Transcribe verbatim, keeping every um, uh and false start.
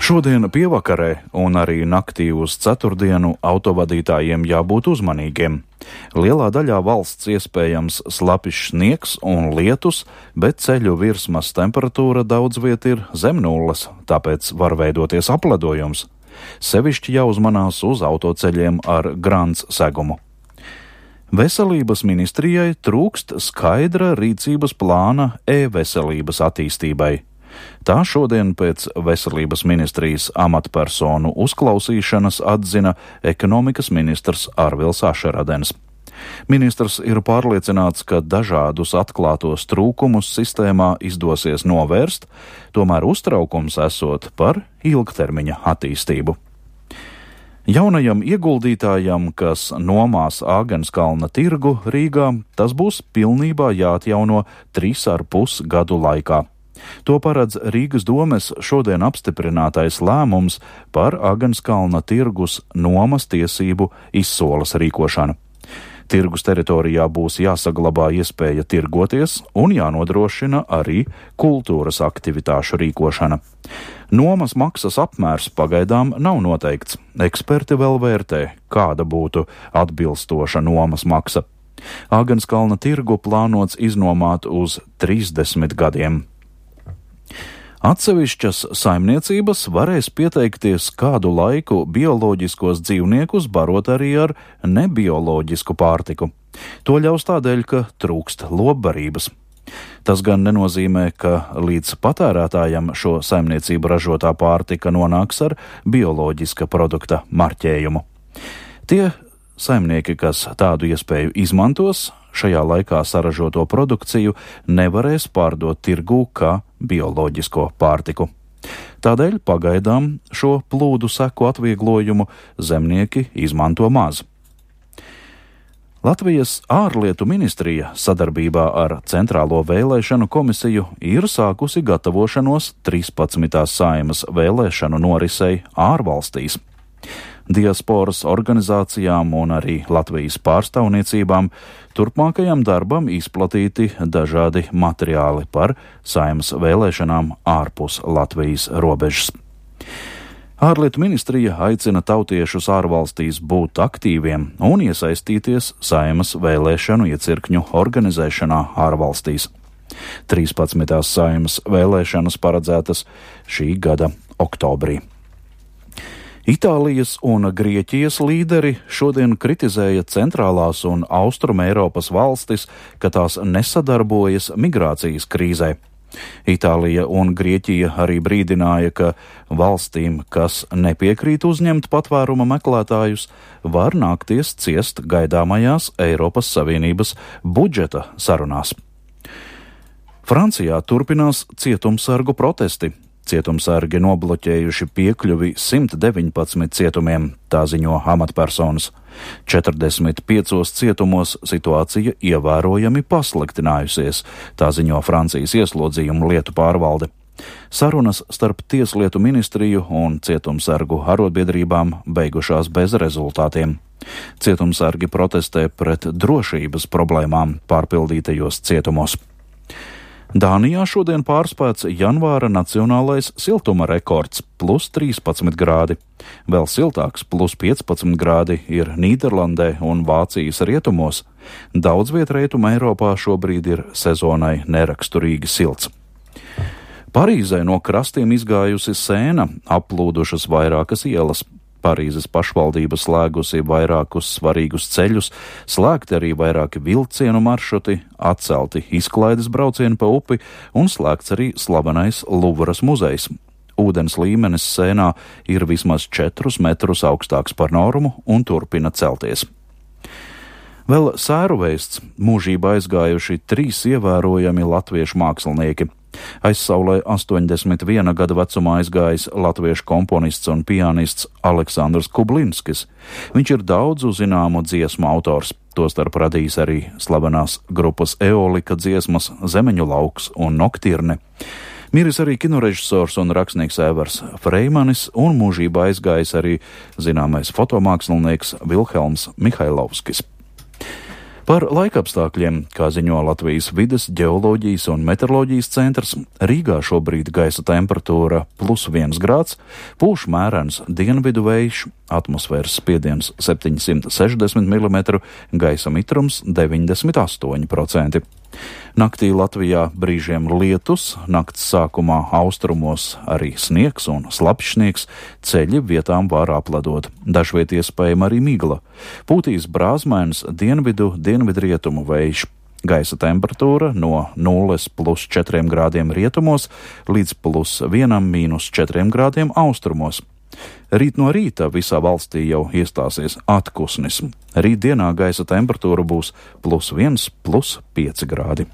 Šodien pievakarē un arī naktī uz ceturtdienu autovadītājiem jābūt uzmanīgiem. Lielā daļā valsts iespējams slapjš sniegs un lietus, bet ceļu virsmas temperatūra daudz viet ir zem nulles, tāpēc var veidoties apledojums. Sevišķi jāuzmanās uz autoceļiem ar grants segumu. Veselības ministrijai trūkst skaidra rīcības plāna e-veselības attīstībai. Tā šodien pēc veselības ministrijas amatpersonu uzklausīšanas atzina ekonomikas ministrs Arvils Ašeradens. Ministrs ir pārliecināts, ka dažādus atklātos trūkumus sistēmā izdosies novērst, tomēr uztraukums esot par ilgtermiņa attīstību. Jaunajam ieguldītājam, kas nomās Āgenskalna tirgu Rīgā, tas būs pilnībā jāatjauno trīs ar pus gadu laikā. To paredz Rīgas domes šodien apstiprinātais lēmums par Āgenskalna tirgus nomas tiesību izsoles rīkošanu. Tirgus teritorijā būs jāsaglabā iespēja tirgoties un jānodrošina arī kultūras aktivitāšu rīkošana. Nomas maksas apmērs pagaidām nav noteikts. Eksperti vēl vērtē, kāda būtu atbilstoša nomas maksa. Āgenskalna tirgu plānots iznomāt uz trīsdesmit gadiem. Atsevišķas saimniecības varēs pieteikties kādu laiku bioloģiskos dzīvniekus barot arī ar nebioloģisku pārtiku. To ļaus tādēļ, ka trūkst lopbarības. Tas gan nenozīmē, ka līdz patērētājam šo saimniecību ražotā pārtika nonāks ar bioloģiska produkta marķējumu. Tie saimnieki, kas tādu iespēju izmantos, šajā laikā saražoto produkciju nevarēs pārdot tirgū kā bioloģisko pārtiku. Tādēļ pagaidām šo plūdu seku atvieglojumu zemnieki izmanto maz. Latvijas ārlietu ministrija sadarbībā ar Centrālo vēlēšanu komisiju ir sākusi gatavošanos trīspadsmitās Saeimas vēlēšanu norisei ārvalstīs. Diasporas organizācijām un arī Latvijas pārstāvniecībām turpmākajam darbam izplatīti dažādi materiāli par Saeimas vēlēšanām ārpus Latvijas robežas. Ārlietu ministrija aicina tautiešus ārvalstīs būt aktīviem un iesaistīties Saeimas vēlēšanu iecirkņu organizēšanā ārvalstīs. trīspadsmitās Saeimas vēlēšanas paredzētas šī gada oktobrī. Itālijas un Grieķijas līderi šodien kritizēja centrālās un austruma Eiropas valstis, ka tās nesadarbojas migrācijas krīzē. Itālija un Grieķija arī brīdināja, ka valstīm, kas nepiekrīt uzņemt patvēruma meklētājus, var nākties ciest gaidāmajās Eiropas Savienības budžeta sarunās. Francijā turpinās cietumsargu protesti. Cietumsargi nobloķējuši piekļuvi simt deviņpadsmit cietumiem, tā ziņo amatpersonas. četrdesmit piecos cietumos situācija ievērojami pasliktinājusies, tā ziņo Francijas ieslodzījumu lietu pārvalde. Sarunas starp Tieslietu ministriju un cietumsargu arotbiedrībām beigušās bez rezultātiem. Cietumsargi protestē pret drošības problēmām pārpildītajos cietumos. Dānijā šodien pārspēts janvāra nacionālais siltuma rekords – plus trīspadsmit grādi. Vēl siltāks – plus piecpadsmit grādi ir Nīderlandē un Vācijas rietumos. Daudz viet rietuma Eiropā šobrīd ir sezonai neraksturīgi silts. Parīzē no krastiem izgājusi sēna, aplūdušas vairākas ielas. Parīzes pašvaldība slēgusi vairākus svarīgus ceļus, slēgti arī vairāki vilcienu maršruti, atcelti izklaides braucieni pa upi un slēgts arī slavenais Luvras muzejs. Ūdens līmenis sēnā ir vismaz četrus metrus augstāks par normu un turpina celties. Vēl sēru vēsts mūžībā aizgājuši trīs ievērojami latviešu mākslinieki. Aizsaulē astoņdesmit viena gada vecumā aizgājis latviešu komponists un pianists Aleksandrs Kublinskis. Viņš ir daudzu zināmu dziesmu autors, tostarp radījis arī slavenās grupas Eolika dziesmas Zemeņu lauks un Noktirne. Miris arī kinorežisors un rakstnieks Evers Freimanis un mūžībā aizgājis arī zināmais fotomākslinieks Vilhelms Mihailovskis. Par laikapstākļiem, kā ziņo Latvijas vides, ģeoloģijas un meteoroloģijas centrs, Rīgā šobrīd gaisa temperatūra plus viens grāds, pūš mērens dienvidu vējš, atmosfēras spiediens septiņsimt sešdesmit milimetru, gaisa mitrums deviņdesmit astoņi procenti. Naktī Latvijā brīžiem lietus, nakts sākumā austrumos arī sniegs un slapjš sniegs, ceļi vietām var apledot, dažviet iespējama arī migla. Pūtīs brāzmains dienvidu, dienvidrietumu vējš. Gaisa temperatūra no nulles plus četriem grādiem rietumos līdz plus vienam mīnus četriem grādiem austrumos. Rīt no rīta visā valstī jau iestāsies atkusnis. Rīt dienā gaisa temperatūra būs plus viens, plus pieci grādi.